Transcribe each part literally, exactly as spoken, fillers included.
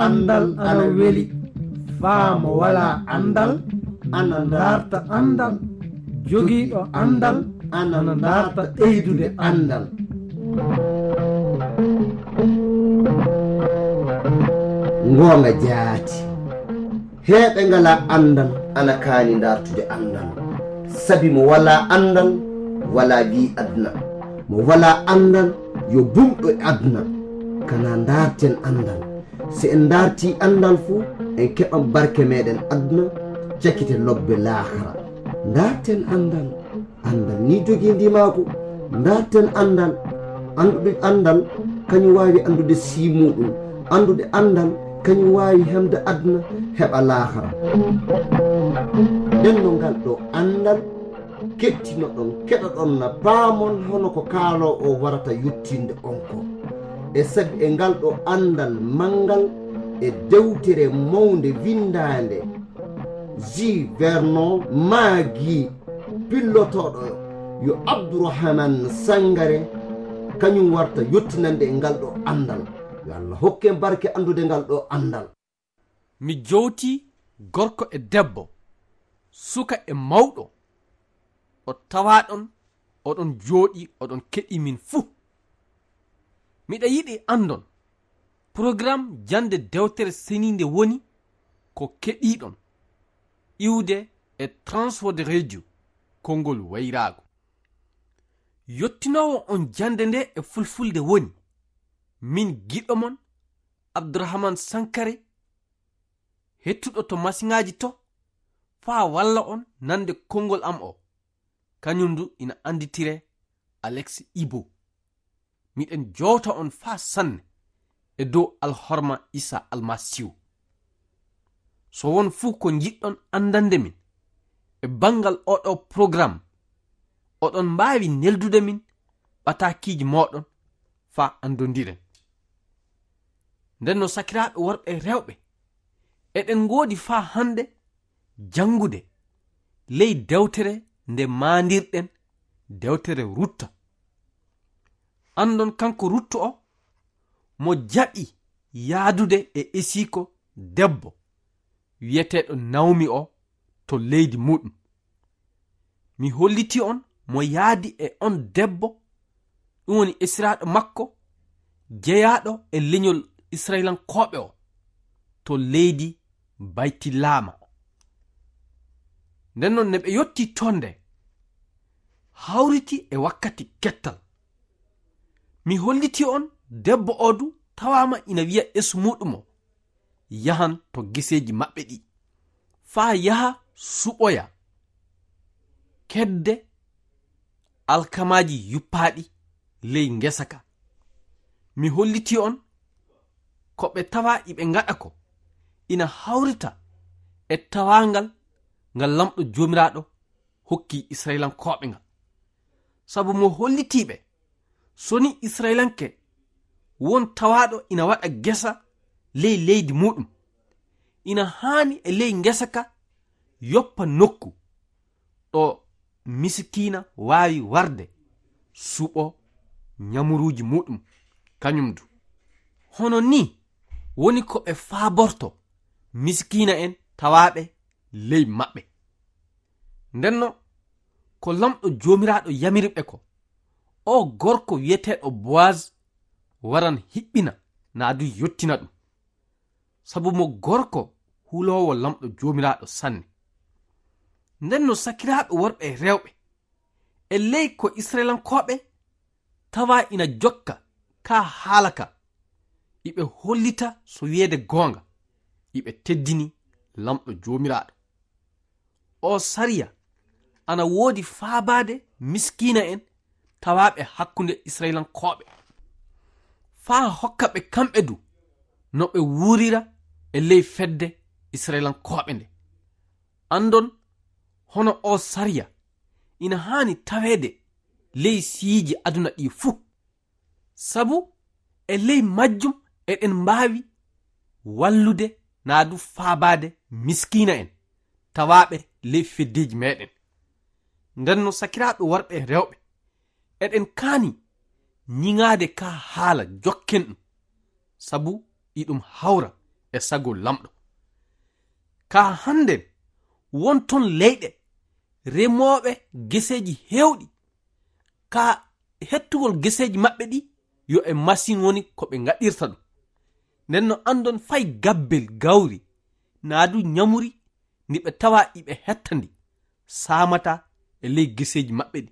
Anndal ana weli, faa mo walaa anndal ana ndaarta anndal, jogiiɗo anndal ana ndaarta ɓeydude anndal. Ngoonga jaati. Heɓe ngalaa anndal ana kaani ndaartude anndal. Sabi mo walaa anndal, walaa wii aduna. Mo walaa anndal, yo bumɗo e aduna. Kana ndaarten anndal. Si en ndaartii anndal fu, en keɓan barke meɗen aduna, cakite lobbe laakara. Ndaarten anndal. Anndal ni jogii ndimaagu. Ndaarten anndal. Anndude anndal, kañum waawi anndude sii muuɗum. Anndude anndal, kañum waawi hemde aduna, heɓa laakara. Nden no ngal ɗo anndal kettinoɗon, keɗoɗon na paamon hono ko kaaloowo o warata yettinde on ko. E sabi e ngal ɗo anndal manngal e dewtere mawnde winndaande Jules Vernon maagi pillotooɗo yo Abdourahmane Sangaré, kañum warta yettinande e ngal ɗo anndal. Yo Allah hokke en barke anndude ngal ɗo anndal. Mi jowtii gorko e debbo, suka e mawɗo, ɗo tawaaɗon oɗon jooɗii, oɗon keɗii min fuu. Miɗa yiɗi anndon, porogaram jannde dewtere seniinde woni ko keɗiiɗon iwde e Transworld Radio, konngol wayraago. Yottinoowo on jannde nde e fulfulde woni min giɗo mon, Abdourahmane Sankaré, hettuɗo to masiŋaaji to, faa walla on nande konngol am o. Kañum du ina annditire Alex Ibo. Miɗen jowta on faa sanne e dow alhorma Isa Almasiihu. So won fuu ko njiɗɗon anndande min e banngal oɗo porogaram, oɗon mbaawi neldude min ɓataakiiji mooɗon faa anndondiren. Nden no sakiraaɓe worɓe e rewɓe, eɗen ngoodi faa hannde janngude ley dewtere nde maandirɗen, dewtere Rutta. Anndon kanko Rutta o, mo jaɓi yaadude e esiiko debbo wi'eteeɗo Nawmi o to leydi muuɗum. Mi hollitii on mo yaadi e on debbo, ɗum woni esiraaɗo makko, jeyaaɗo e leñol Israyilankooɓe o to leydi Baytilaama. Nden non ne ɓe yottii toon nde hawriti e wakkati kettal. Mi hollitii on debbo o du tawaama ina wi'a esu muuɗum o, yahan to geseeji maɓɓe ɗi, faa yaha suɓoya kedde alkamaaji yuppaaɗi ley ngesa ka. Mi hollitii on ko ɓe tawaa iɓe ngaɗa ko ina hawrita e tawaangal ngal Laamɗo Joomiraaɗo hokki Israyilankooɓe ngal. Sabu mo hollitii ɓe, so ni Israyilanke won tawaaɗo ina waɗa gesa ley leydi muuɗum, ina haani e ley ngesa ka yoppa nokku ɗo misikiina waawi warde suɓo ñamuruuji muuɗum kañum du. Hono nii woni ko ɓe faaborto misikiina en tawaaɓe ley maɓɓe. Ndenno ko Laamɗo Joomiraaɗo yamiri ɓe ko, o gorko wi'eteeɗo Boaz waran hiɓɓina naa du yottina ɗum. Sabu mo gorko huloowo Laamɗo Joomiraaɗo sanne. Ndenno sakiraaɓe worɓe e rewɓe, e ley ko Israyilankooɓe tawa ina jokka ka haala ka, iɓe hollita so wi'eede goonga, iɓe teddini Laamɗo Joomiraaɗo. O sariya ana woodi faabaade miskiina en tawaaɓe hakkunde Israyilankooɓe, faa hokka ɓe kamɓe du no ɓe wuurira e ley fedde Israyilankooɓe nde. Anndon hono o sariya ina haani taweede ley siyiiji aduna ɗi fuu. Sabu e ley majjum eɗen mbaawi wallude naa du faabaade miskiina en tawaaɓe ley feddeeji meɗen. Ndenno sakiraaɓe worɓe e rewɓe, eɗen kaani ñiŋaade ka haala jokken ɗum, sabu iɗum hawra e sago Laamɗo. Ka hannden, won ton leyɗe remooɓe geseeji heewɗi. Ka hettugol geseeji maɓɓe ɗi, yo e masin woni ko ɓe ngaɗirta ɗum. Nden no anndon fay gabbel gawri, naa du ñamuri ndi ɓe tawa iɓe hetta ndi, saamata e ley geseeji maɓɓe ɗi.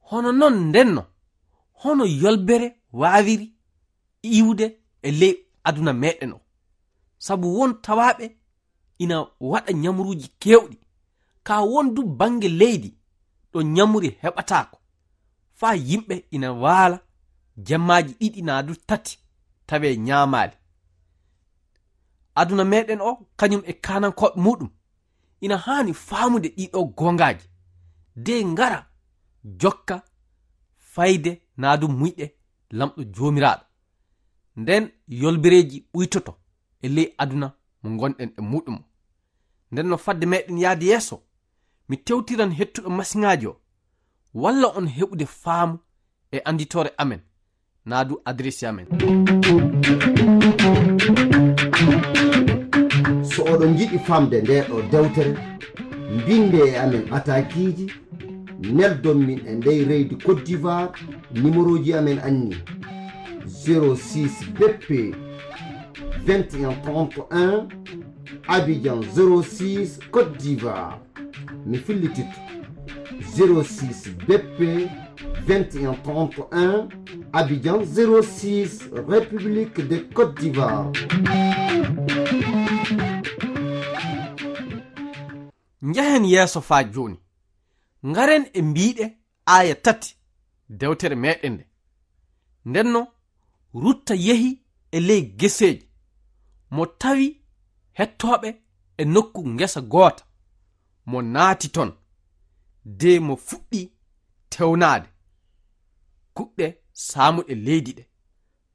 Hono non nden no, hono yolbere waawiri iwde e ley aduna meɗen o? Sabu won tawaaɓe ina waɗa ñamruuji keewɗi, ka won du bannge leydi ɗo ñamri heɓataako, faa yimɓe ina waala jemmaaji ɗiɗi naa du tati tawee ñaamaali. Aduna meɗen o, kañum e kaanankooɓe muuɗum, ina haani faamude ɗii ɗoo goongaaji, de ngara jokka fayde naa du muyɗe Laamɗo Joomiraaɗo. Nden yolbereeji ɓuytoto e ley aduna mo ngonɗen e muuɗum o. Nden no fadde meɗen yaade yeeso, mi tewtiran hettuɗo masiŋaaji o, walla on heɓude faamu e annditoore amen, naa du adresi amen. So oɗon njiɗi famde ndee ɗoo dewtere, mbinde e amen ɓataakiiji, neldon min e ndey reydi Côte d'Ivoire, nimerooji amen anni: zéro six B P vingt et un trente et un, Abidjan zéro six, Côte d'Ivoire. Mi fillititto: zéro six B P vingt et un trente et un, Abidjan zéro six, République de Côte d'Ivoire. Njehen yeeso faa jooni. Ngaren e mbiiɗe aaya tati dewtere meɗen nde. Nden no Rutta yehi e ley geseeji, mo tawi hettooɓe e nokku ngesa goota, mo naati ton, de mo fuɗɗi tewnaade kuɗɗe saamuɗe leydi ɗe,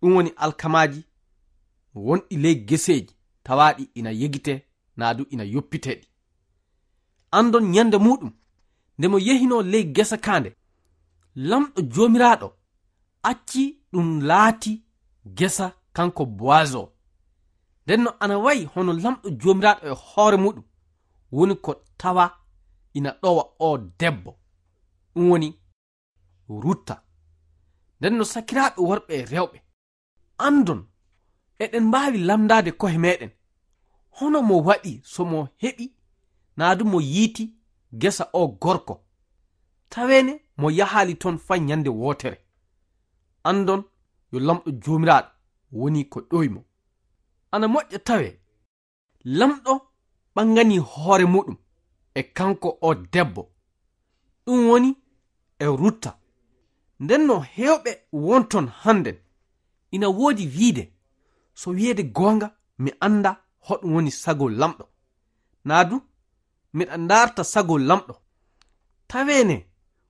ɗum woni alkamaaji wonɗi ley geseeji tawaaɗi ina yegitee naa du ina yoppitee ɗi. Andon ñande muuɗum, nde mo yehinoo ley gesa kaa nde, Laamɗo Joomiraaɗo acci ɗum laati gesa kanko Boaz o. Nden no ana wayi hono Laamɗo Joomiraaɗo e hoore muuɗum woni ko tawa ina ɗowa oo debbo, ɗum woni Rutta. Nden no sakiraaɓe worɓe e rewɓe, andon, eɗen mbaawi lamndaade ko'e meɗen, hono mo waɗi so mo heɓi naa du mo yiiti gesa o gorko, taweene mo yahaali ton fay ñande wootere. Andon yo Laamɗo Joomiraaɗo woni ko ɗowi mo. Ana moƴƴa tawee Laamɗo ɓanganii hoore muuɗum e kanko o debbo, ɗum woni e Rutta. Nden no heewɓe won ton hannden ina woodi wiide, so wiyeede goonga, mi anndaa hoɗum woni sago Laamɗo. Naa du, miɗa ndaarta sago Laamɗo. Taweene,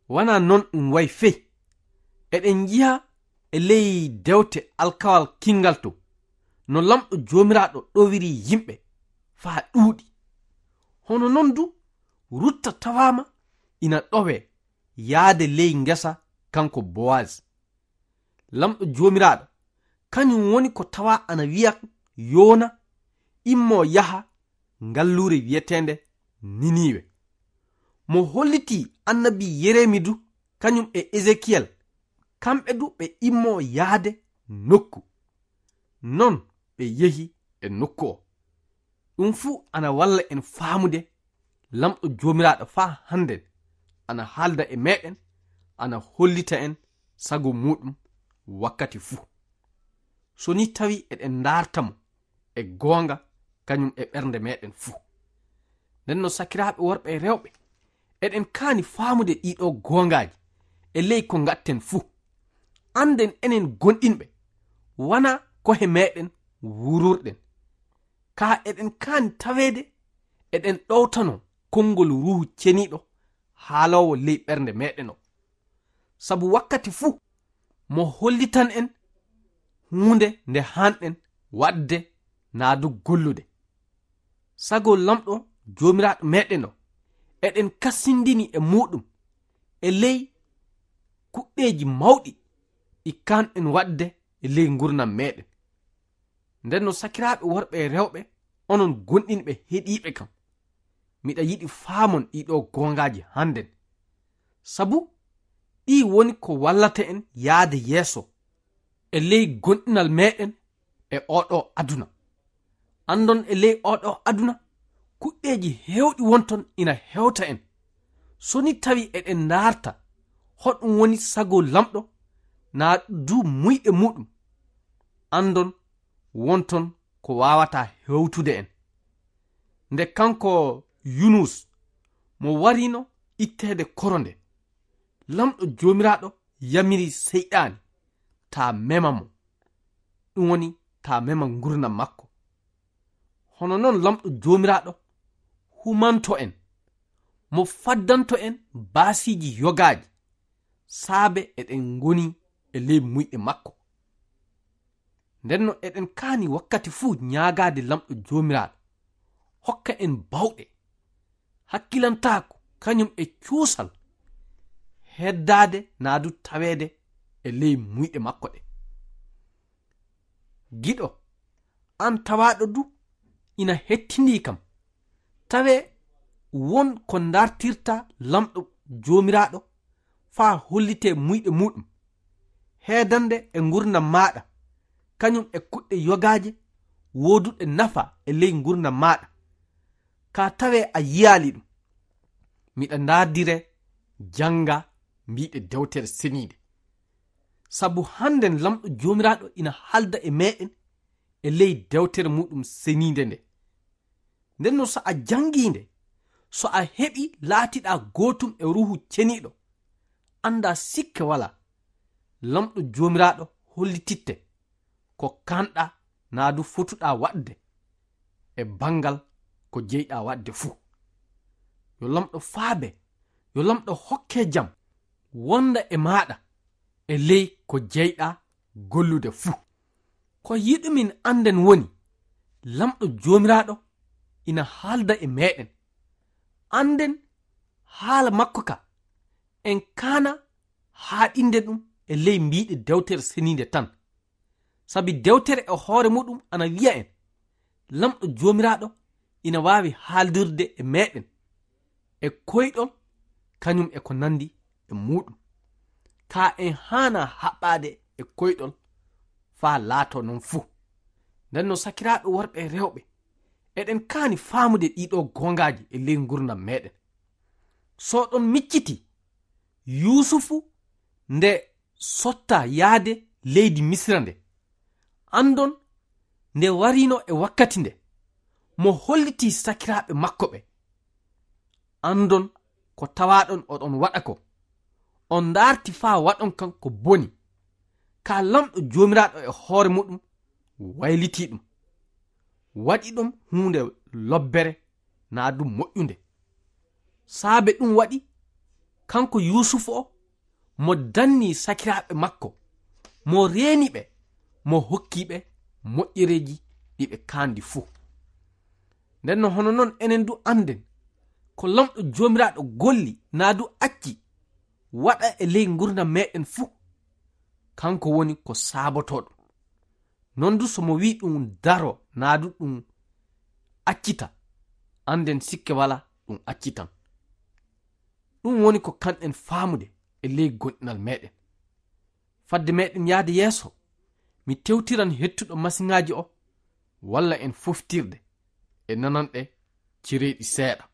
wanaa non ɗum wayi fey. Eɗen njiya e ley dewte alkawal kinngal to, no Laamɗo Joomiraaɗo ɗowiri yimɓe faa ɗuuɗi. Hono non du, Rutta tawaama ina ɗowee yaade ley ngesa kanko Boaz. Laamɗo Joomiraaɗo, kañum woni ko tawa ana wiya Yoona immoo yaha ngalluure wiyeteende Niniiwe. Mo hollitii annabi Yeremi du, kañum e Ezekiyel, kamɓe du ɓe immoo yaade nokku. Non ɓe yehi e nokku o. Ɗum fuu ana walla en faamude Laamɗo Joomiraaɗo faa hannden ana haalda e meɗen, ana hollita en sago muuɗum wakkati fuu. So ni tawi eɗen ndaarta mo e goonga kañum e ɓernde meɗen fuu. Nden no sakiraaɓe worɓe e rewɓe, eɗen kaani faamude ɗii ɗoo goongaaji e ley ko ngaɗten fuu. Annden enen gonɗinɓe, wanaa ko'e meɗen wuururɗen. Kaa eɗen kaani taweede eɗen ɗowtanoo konngol Ruuhu Ceniiɗo haaloowo ley ɓernde meɗen o. Sabu wakkati fuu mo hollitan en huunde nde haanɗen waɗde naa du gollude. Sago Laamɗo Joomiraaɗo meɗen o, eɗen kasindini e muuɗum e ley kuɗɗeeji mawɗi ɗi kaanɗen waɗde e ley nguurndam meɗen. Nden no sakiraaɓe worɓe e rewɓe, onon gonɗinɓe heɗiiɓe kam, miɗa yiɗi faamon ɗii ɗoo goongaaji hannden. Sabu ɗii woni ko wallata en yaade yeeso e ley gonɗinal meeɗen e oo ɗoo aduna. Anndon e ley oo ɗoo aduna, kuɗɗeeji heewɗi wonton ina hewta en. So ni tawi eɗen ndaarta hoɗum woni sago Lamɗo, naa du muyɗe muuɗum, anndon wonton ko waawataa hewtude en. Nde kanko Yunus mo warino itteede koro nde, Lamɗo Joomiraaɗo yamiri Seyɗaani taa mema mo, ɗum woni taa mema ngurnam makko. Hono noon Lamɗo Joomiraaɗo humanto en, mo faddanto en baasiiji yogaaji, saabe eɗen ngoni e ley muyɗe makko. Nden no eɗen kaani wakkati fuu ñaagaade Lamɗo Joomiraaɗo hokka en bawɗe, hakkilantaaku kañum e cuusal, heddaade naa du taweede e ley muyɗe makko ɗe. Giɗo, aan tawaaɗo du ina hettindii kam, tawee won ko ndartirta Lamɗo Joomiraaɗo faa hollitee muyɗe muuɗum, heedande e ngurnam maaɗa, kañum e kuɗɗe yogaaje wooduɗe nafa e ley ngurnam maaɗa, kaa tawee a yiyaali ɗum. Miɗa ndaardire jannga mbiiɗe dewtere seniinde. Sabu hannden Lamɗo Joomiraaɗo ina haalda e meeɗen e ley dewtere muuɗum seniinde nde. Nden no so a janngii nde, so a heɓii laatiɗaa gootum e Ruuhu Ceniiɗo, anndaa sikke walaa, Lamɗo Joomiraaɗo hollititte ko kaanɗaa naa du fotuɗaa waɗde e banngal ko jeyɗaa waɗde fuu. Yo Lamɗo faabe, yo Lamɗo hokke jam wonda e maaɗa e ley ko jeyɗaa gollude fuu. Ko yiɗumin annden woni, Lamɗo Joomiraaɗo ina haalda e meeɗen. Annden haala makko ka, en kaana haaɗinde ɗum e ley mbiiɗe dewtere seniinde tan. Sabi dewtere e hoore muɗum ana wiya en, Lamɗo Joomiraaɗo ina waawi haaldirde e meeɗen e koyɗol, kañum e ko nanndi e muuɗum. Kaa en haanaa haɓɓaade e koyɗol faa laatoo noon fuu. Nden no sakiraaɓe worɓe e rewɓe, eɗen kaani faamude ɗii ɗoo goongaaji e ley ngurndan meeɗen. So ɗon micciti, Yuusufu nde sotta yaade leydi Misira nde, anndon nde warino e wakkati nde, mo hollitii sakiraaɓe makko ɓe. Anndon ko tawaaɗon oɗon waɗa ko, on ndaarti faa waɗon kan ko boni. Kaa Lamɗo Joomiraaɗo e hoore muɗum waylitii ɗum, waɗi ɗum huunde lobbere naa ɗum moƴƴunde. Saabe ɗum waɗi, kanko Yuusufu o, mo danni sakiraaɓe makko, mo reeni ɓe, mo hokki ɓe moƴƴereeji ɗi ɓe kaandi fuu. Nden no hono non enen du annden, ko Lamɗo Joomiraaɗo golli naa du acci waɗa e ley ngurndan meeɗen fuu, kanko woni ko saabotoo ɗum. Non du so mo wi'i ɗum daro naa du ɗum accita, annden sikke walaa ɗum accitan. Ɗum woni ko kanɗen faamude e ley gonɗinal meeɗen. Fadde meeɗen yahde yeeso, mi tewtiran hettuɗo masiŋaaji o, walla en foftirde e nananɗe cereeɗi seeɗa.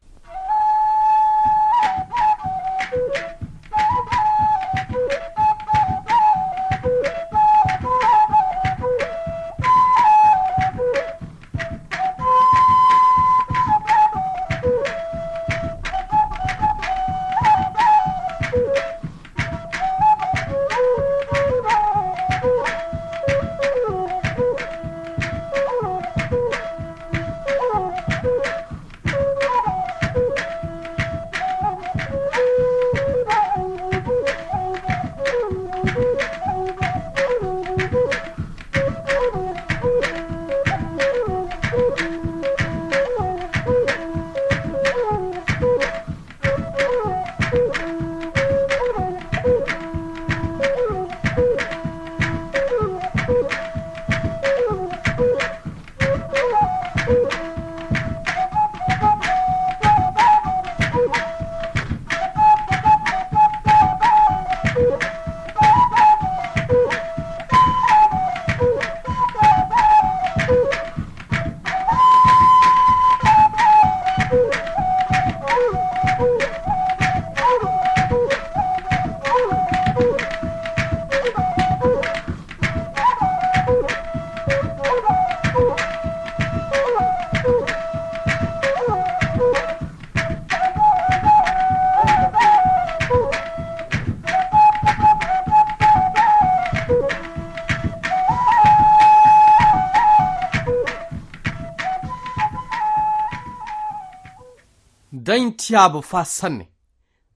Kañtiyaabo faa sanne.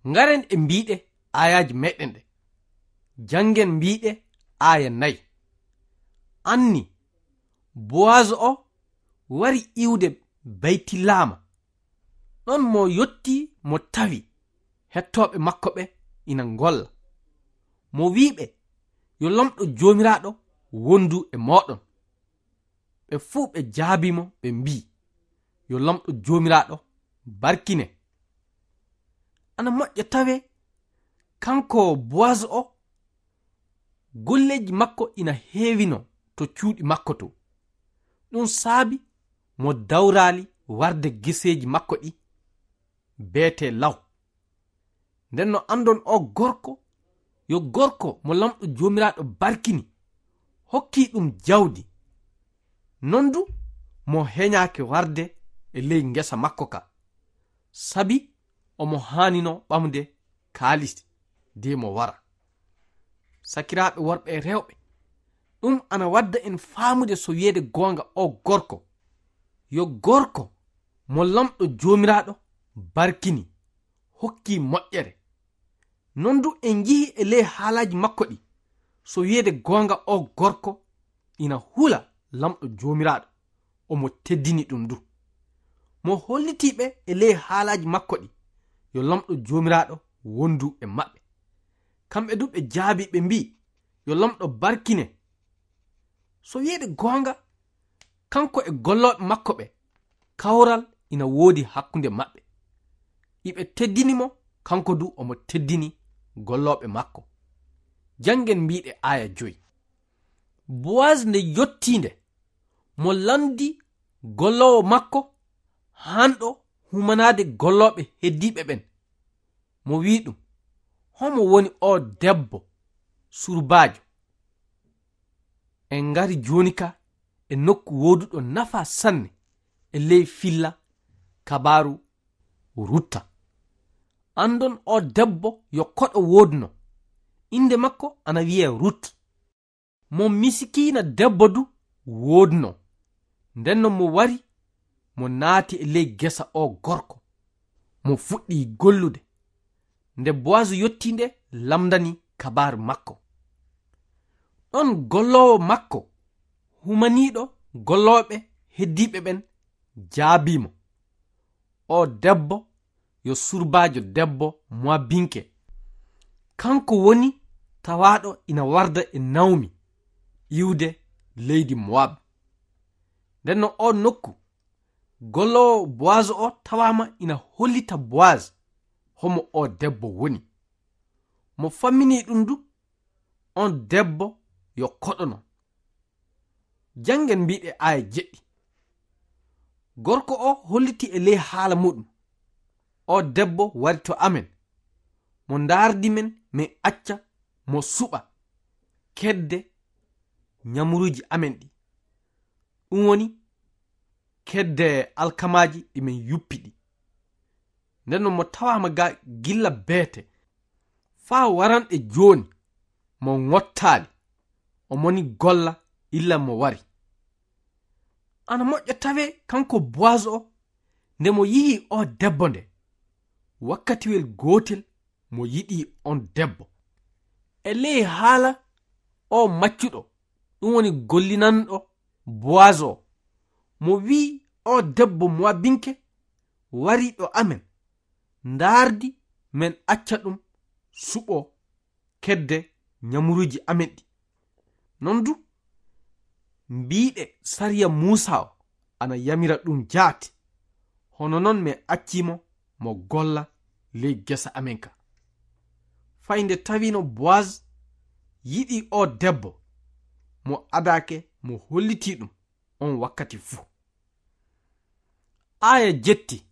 Ngaren e mbiiɗe aayaaji meɗen ɗe. Janngen mbiiɗe aaya nay. Anni, Boaz o wari iwde Baytilaama. Ɗon mo yotti mo tawi hettooɓe makko ɓe ina ngolla. Mo wi'i ɓe, "Yo Laamɗo Joomiraaɗo wondu e mooɗon." Ɓe fuu ɓe jaabii mo, ɓe mbi'i, "Yo Laamɗo Joomiraaɗo barkine." Ana moƴƴa tawe, kanko Boaz o, golleeji makko ina heewino to cuuɗi makko to. Ɗum saabi mo dawraali warde geseeji makko ɗi beetee law. Nden no anndon o gorko, yo gorko mo Laamɗo Joomiraaɗo barkini, hokki ɗum jawdi. Non du mo heñaaki warde e ley ngesa makko ka, sabi omo haanino ɓamde kaalis de mo wara. Sakiraaɓe worɓe e rewɓe, ɗum ana wadda en faamude so wiyeede goonga o gorko, yo gorko mo Laamɗo Joomiraaɗo barkini, hokki moƴƴere. Non du en njii e ley haalaaji makko ɗi, so wiyeede goonga o gorko ina hula Laamɗo Joomiraaɗo, omo teddini ɗum du. Mo hollitii ɓe e ley haalaaji makko ɗi, yo Laamɗo Joomiraaɗo wondu e maɓɓe. Kamɓe du ɓe jaabii ɓe mbi'i, "Yo Laamɗo barkine." So wiyeede goonga, kanko e gollooɓe makko ɓe, kawral ina woodi hakkunde maɓɓe. Iɓe teddini mo, kanko du omo teddini gollooɓe makko. Janngen mbiiɗe aaya joy. Boaz nde yottii nde, mo lanndi golloowo makko haanɗo humanaade gollooɓe heddiiɓe ɓen. Mo wi'i ɗum, "Homo woni o debbo surbaajo?" En ngari jooni ka e nokku wooduɗo nafa sanne e ley filla kabaaru Rutta. Anndon o debbo yo koɗo woodno. Innde makko ana wi'ee Rut. Mo misikiina debbo du woodno. Nden non mo wari, mo naati e ley gesa o gorko. Mo fuɗɗi gollude. Nde Boaz yottii nde, lamndani kabaaru makko. Ɗon golloowo makko, humaniiɗo gollooɓe heddiiɓe ɓen, jaabii mo, "O debbo yo surbaajo debbo Moabinke. Kanko woni tawaaɗo ina warda e Naomi iwde leydi Moab." Nden no o nokku, golloowo Boaz o tawaama ina hollita Boaz homo o debbo woni. Mo famminii ɗum du, on debbo yo koɗono. Janngen mbiiɗe aaya jeɗɗi. Gorko o holliti e ley haala muɗum, "O debbo wari to amen, mo ndaardi men, min acca mo suɓa kedde ñamuruuji amen ɗi, ɗum woni kedde alkamaaji ɗi min yuppi ɗi." Nden no mo tawaama ga gilla beete faa waranɗe jooni, mo ŋottaali, o moni golla illa mo wari. Ana moƴƴa tawee kanko Boaz o, nde mo yi'i o debbo nde, wakkatiwel gootel mo yiɗi on debbo. E ley haala o maccuɗo, ɗum woni gollinanɗo Boaz o, mo wi'i o debbo Moabinke wari ɗo amen, ndaardi men acca ɗum suɓo kedde ñamuruuji amen ɗi. Non du, mbiiɗe sariya Muusa o ana yamira ɗum jaati, hono non min accii mo, mo golla ley gesa amen ka. Fay nde tawino Boaz yiɗi o debbo, mo adaake mo hollitii ɗum on wakkati fuu. Aaya jetti.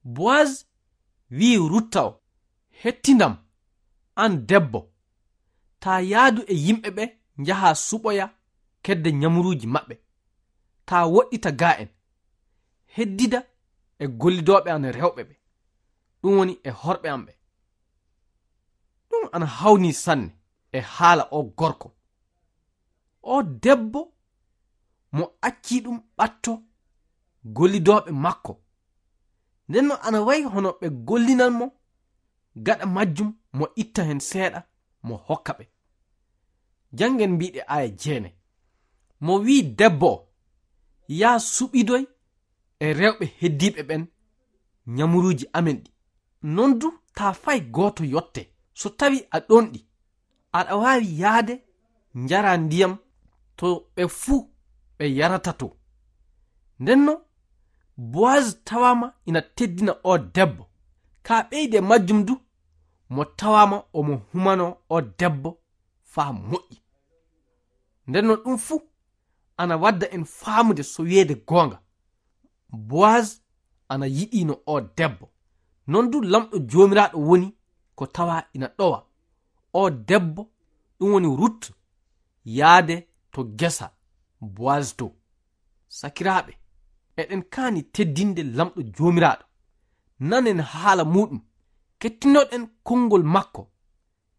Boaz wi'i Rutta o, "Hettindam, an debbo, taa yaadu e yimɓe ɓe njahaa suɓoya kedde ñamuruuji maɓɓe, taa woɗɗita gaa en, heddida e gollidooɓe an rewɓe ɓe, ɗum woni e horɓe am ɓe." Ɗum ana hawnii sanne e haala o gorko. O debbo mo accii ɗum ɓatto gollidooɓe makko, Nden no ana wayi hono ɓe gollinan mo, gaɗa majjum mo itta heen seeɗa mo hokka ɓe. Janngen mbiɗe aaya jeenay. Mo wi'i debbo o, "Yaa suɓidoy e rewɓe heddiiɓe ɓen ñamuruuji amen ɗi. Non du taa fay gooto yotte. So tawi a ɗon ɗi, aɗa waawi yaade njara ndiyam to ɓe fuu ɓe yarata to." Nden no Boaz tawaama ina teddina o debbo. Ka ɓeyde majjum du, mo tawaama omo humanoo o debbo faa moƴƴi. Nden no ɗum fuu ana wadda en faamude so wiyeede goonga, Boaz ana yiɗino o debbo. Non du Laamɗo Joomiraaɗo woni ko tawa ina ɗowa o debbo, ɗum woni Rut, yaade to gesa Boaz to. Sakiraaɓe, eɗen kaani teddinde Laamɗo Joomiraaɗo. Nanen haala muuɗum, kettinoɗen konngol makko,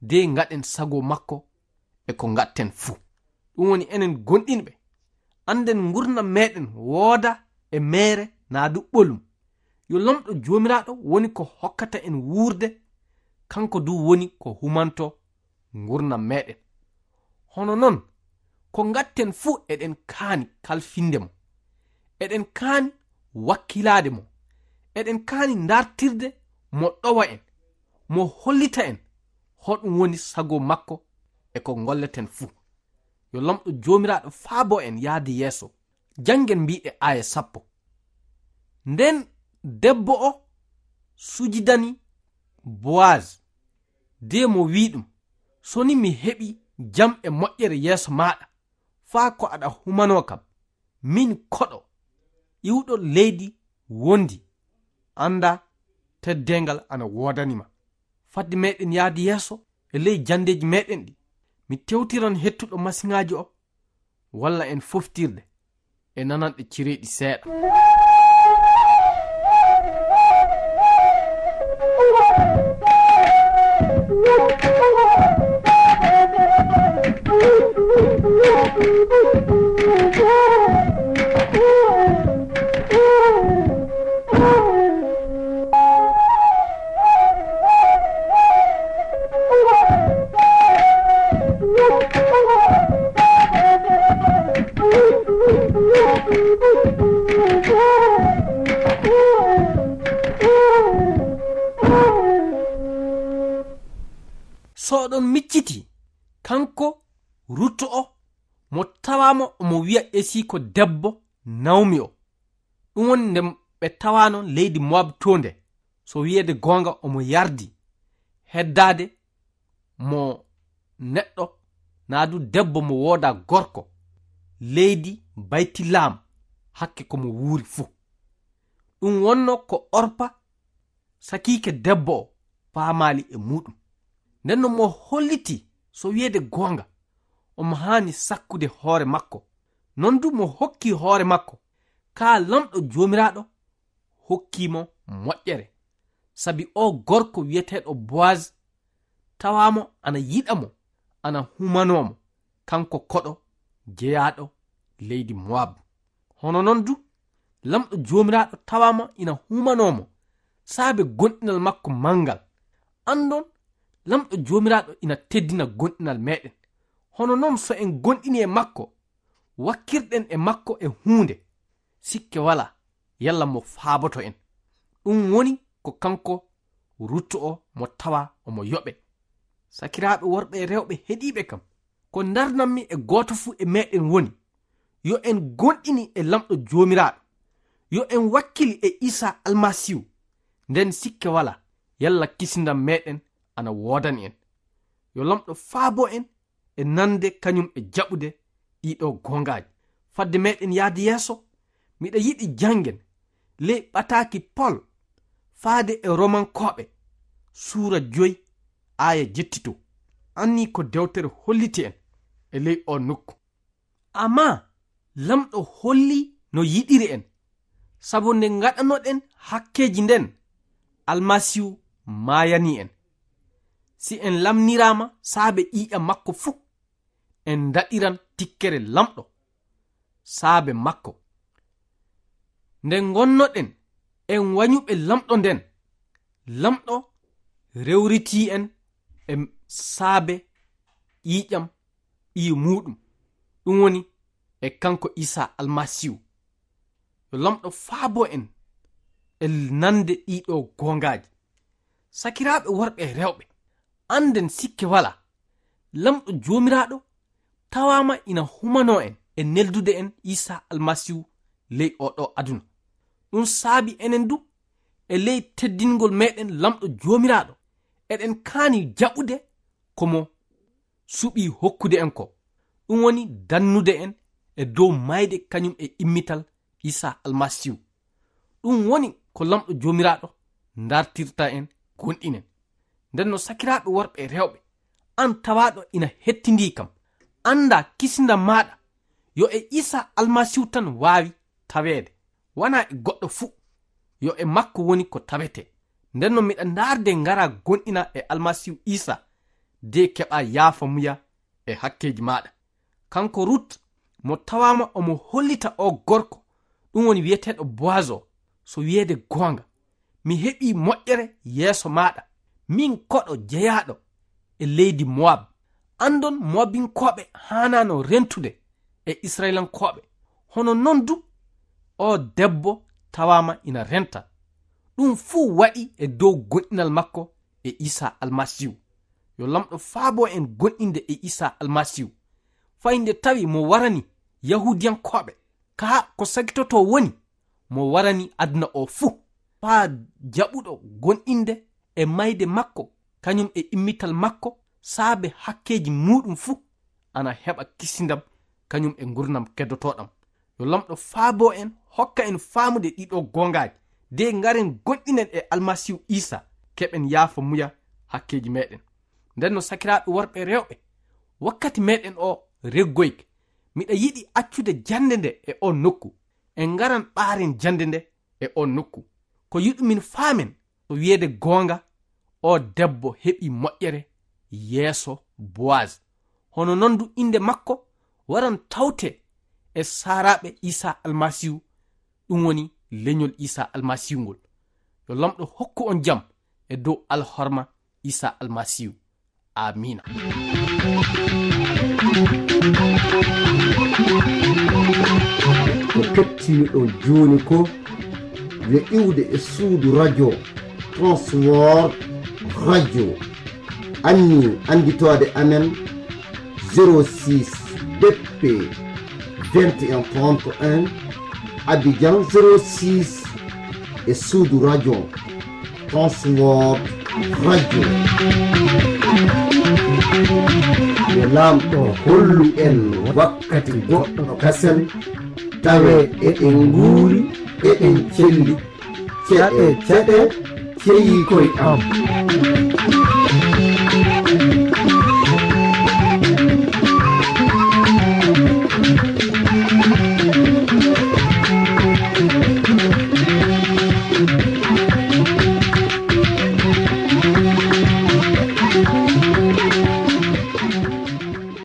de ngaɗen sago makko e ko ngaɗten fuu. Ɗum woni enen gonɗinɓe, annden ngurnam meɗen wooda e meere naa du ɓolum. Yo Laamɗo Joomiraaɗo woni ko hokkata en wuurde, kanko du woni ko humanto ngurnam meɗen. Hono non, ko ngaɗten fuu eɗen kaani kalfinde mo. Eɗen kaani wakkilaade mo. Eɗen kaani ndartirde mo ɗowa en, mo hollita en hoɗum woni sago makko e ko ngolleten fuu. Yo Laamɗo Joomiraaɗo faabo en yaade yeeso. Janngen mbiɗe aaya sappo. Nden debbo o sujidani Boaz, de mo wi'i ɗum, "So ni mi heɓi jam e moƴƴere yeeso maaɗa, faa ko aɗa humanoo kam, min koɗo iwɗo leydi wondi, annda teddeengal ana woodani ma." Fadde meɗen yaade yeeso e ley janndeeji meɗen ɗi, mi tewtiran hettuɗo masiŋaaji o, walla en foftirde e nananɗe cireeɗi seeɗa. So oɗon micciti, kanko Rut o, mo tawaama omo wiya esiiko debbo Nawmi o. Ɗum woni nde ɓe tawaano leydi Moab to nde, so wiyeede goonga omo yardi heddaade mo neɗɗo, naa du debbo mo wooda gorko, leydi Baytilaam, hakke ko mo wuuri fuu. Ɗum wonno ko Orpa, sakiike debbo o, faamaali e muuɗum. Nden no mo holliti, so wiyeede goonga, omo haani sakkude hoore makko. Non du mo hokki hoore makko, kaa Laamɗo Joomiraaɗo hokkii mo moƴƴere. Sabi o gorko wiyeteeɗo Boaz tawaama ana yiɗa mo, ana humanoo mo, kanko koɗo jeyaaɗo leydi Moab. Hono non du, Laamɗo Joomiraaɗo tawaama ina humanoo mo saabe gonɗinal makko manngal. Anndon, Laamɗo Joomiraaɗo ina teddina gonɗinal meɗen. Hono non, so en gonɗini e makko, wakkirɗen e makko e huunde, sikke walaa, yalla mo faaboto en. Ɗum woni ko kanko Ruttu o mo tawa omo yoɓe. Sakiraaɓe worɓe e rewɓe heɗiiɓe kam, ko ndarnammi e gooto fuu e meɗen woni, yo en gonɗini e Laamɗo Joomiraaɗo, yo en wakkili e Iisaa Almasiihu, nden sikke walaa, yalla kisindam meɗen ana woodani en. Yo Laamɗo faabo en e nande kañum e jaɓude ɗiɗo goongaaji. Fadde meɗen yaade yeeso, miɗa yiɗi janngen ley ɓataaki Pol faade e Romankooɓe, suura joy, aaya jettito. Anni ko dewtere holliti en e ley o nokku. Amma Laamɗo holli no yiɗiri en, sabu nde ngaɗanoɗen hakkeeji nden, Almasiihu maayani en. Si en lamniraama saabe ƴiiƴam makko fuu, en ndaɗiran tikkere Laamɗo saabe makko. Nde ngonnoɗen En wañuɓe Lamɗo nden, Lamɗo rewritii en e saabe ƴiiƴam ɓiyi muuɗum, ɗum woni e kanko Iisaa Almasiihu. Yo Lamɗo faabo en e nande ɗiɗo goongaaji. Sakiraaɓe worɓe e rewɓe, annden sikke walaa, Lamɗo Joomiraaɗo tawaama ina humanoo en e neldude en Iisaa Almasiihu ley oo ɗoo aduna. Ɗum saabi enen du, e ley teddingol meɗen Lamɗo Joomiraaɗo, eɗen kaani jaɓude ko mo suɓii hokkude en ko, ɗum woni dannude en e dow mayde kañum e immital Iisaa Almasiihu. Ɗum woni ko Lamɗo Joomiraaɗo dartirta en, gonɗinen. Nden no, sakiraaɓe worɓe e rewɓe, aan tawaaɗo ina hettindii kam, annda kisindam maaɗa, yo e Iisaa Almasiihu tan waawi taweede, wanaa e goɗɗo fuu, yo e makko woni ko tawetee. Nden no, miɗa ndaarde ngara gonɗina e Almasiihu Iisaa, de keɓa yaafa muya e hakkeeji maaɗa. Kanko Rut mo tawaama omo hollita o gorko, ɗum woni wiyeteeɗo Boaz o, so wiyeede goonga, mi heɓii moƴƴere yeeso maaɗa, min koɗo jeyaaɗo e leydi Moab. Anndon Moabinkooɓe haanaano rentude e Israyilankooɓe, hono non du o debbo tawaama ina renta. Ɗum fuu waɗi e dow gonɗinal makko e Iisaa Almasiihu. Yo Lamɗo faabo en gonɗinde e Iisaa Almasiihu, fay nde tawi mo warani Yahuudiyankooɓe, kaa ko sagitotoo woni mo warani aduna o fuu, faa jaɓuɗo gonɗinde e mayde makko kañum e immital makko saabe hakkeeji muuɗum fuu, ana heɓa kisindam kañum e ngurnam keddotooɗam. Yo Lamɗo faabo en, hokka en faamude ɗiɗo goongaaji, de ngaren gonɗinen e Almasiihu Iisaa, keɓen yaafa muya hakkeeji meɗen. Nden no, sakiraaɓe worɓe e rewɓe, wakkati meɗen o reggoyke, miɗa yiɗi accude jannde nde e o nokku, en ngaran ɓaaren jannde nde e o nokku. Ko yiɗumin faamen, so wiyeede goonga, o debbo heɓi moƴƴere yeeso Boaz. Hono non du innde makko waran tawte e saaraaɓe Iisaa Almasiihu, ɗum woni leñol Iisaa Almasiihu ngol. Yo Lamɗo hokku on jam e dow alhorma Iisaa Almasiihu. Aamiina. Ko kettiniɗon jooni ko yo iwde e suudu radio Transworld Radio. Anni annditoode amen zéro six B P vingt et un trente et un, Abidjan zéro six, e suudu radio Transworld Radio. Yo Laamɗo hollu en wakkati goɗɗo kasen, tawe eɗen nguuri, eɗen celli. Ceɗe, ceɗe, ceyi koy am.